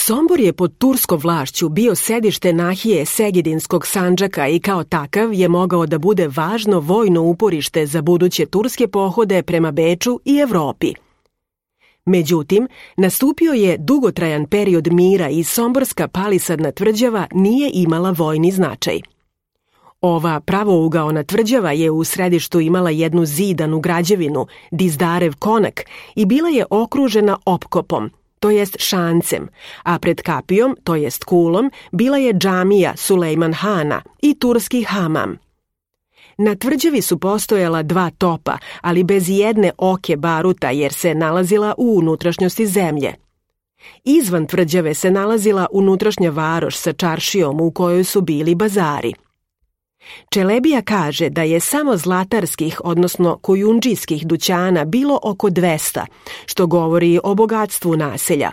Sombor je pod turskom vlašću bio sedište nahije Segedinskog Sandžaka i kao takav je mogao da bude važno vojno uporište za buduće turske pohode prema Beču i Evropi. Međutim, nastupio je dugotrajan period mira i somborska palisadna tvrđava nije imala vojni značaj. Ova pravougaona tvrđava je u središtu imala jednu zidanu građevinu, Dizdarev konak, i bila je okružena opkopom, to jest šancem, a pred kapijom, to jest kulom, bila je džamija Sulejman Hana i turski hamam. Na tvrđavi su postojala 2 topa, ali bez jedne oke baruta jer se nalazila u unutrašnjosti zemlje. Izvan tvrđave se nalazila unutrašnja varoš sa čaršijom u kojoj su bili bazari. Čelebija kaže da je samo zlatarskih, odnosno kujundžijskih dućana bilo oko 200, što govori o bogatstvu naselja.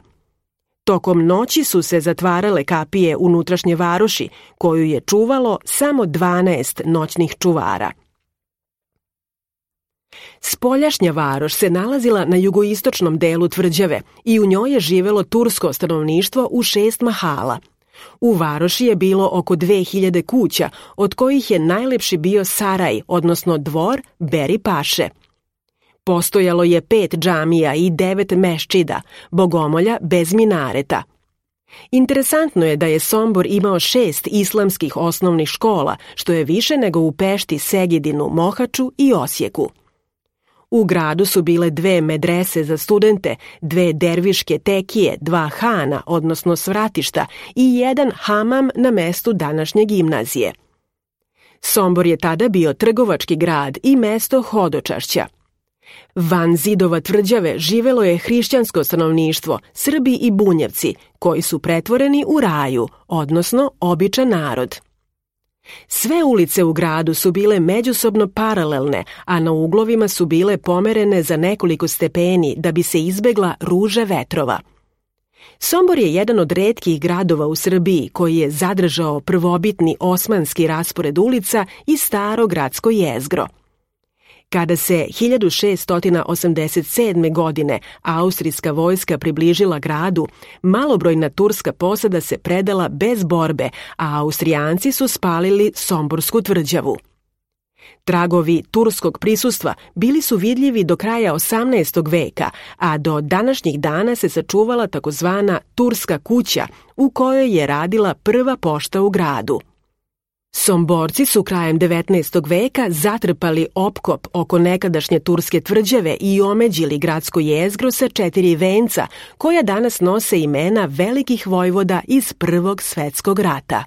Tokom noći su se zatvarale kapije unutrašnje varoši, koju je čuvalo samo 12 noćnih čuvara. Spoljašnja varoš se nalazila na jugoistočnom delu tvrđave i u njoj je živelo tursko stanovništvo u 6 mahala. U varoši je bilo oko 2000 kuća, od kojih je najlepši bio saraj, odnosno dvor Beri Paše. Postojalo je 5 džamija i 9 meščida, bogomolja bez minareta. Interesantno je da je Sombor imao 6 islamskih osnovnih škola, što je više nego u Pešti, Segedinu, Mohaču i Osijeku. U gradu su bile 2 medrese za studente, 2 derviške tekije, 2 hana, odnosno svratišta, i 1 hamam na mestu današnje gimnazije. Sombor je tada bio trgovački grad i mesto hodočašća. Van zidova tvrđave živelo je hrišćansko stanovništvo, Srbi i Bunjevci, koji su pretvoreni u raju, odnosno običan narod. Sve ulice u gradu su bile međusobno paralelne, a na uglovima su bile pomerene za nekoliko stepeni da bi se izbegla ruža vetrova. Sombor je jedan od retkih gradova u Srbiji koji je zadržao prvobitni osmanski raspored ulica i staro gradsko jezgro. Kada se 1687. godine austrijska vojska približila gradu, malobrojna turska posada se predala bez borbe, a Austrijanci su spalili Somborsku tvrđavu. Tragovi turskog prisustva bili su vidljivi do kraja 18. veka, a do današnjih dana se sačuvala takozvana Turska kuća, u kojoj je radila prva pošta u gradu. Somborci su krajem 19. veka zatrpali opkop oko nekadašnje turske tvrđave i omeđili gradsko jezgro sa 4 venca, koja danas nose imena velikih vojvoda iz Prvog svetskog rata.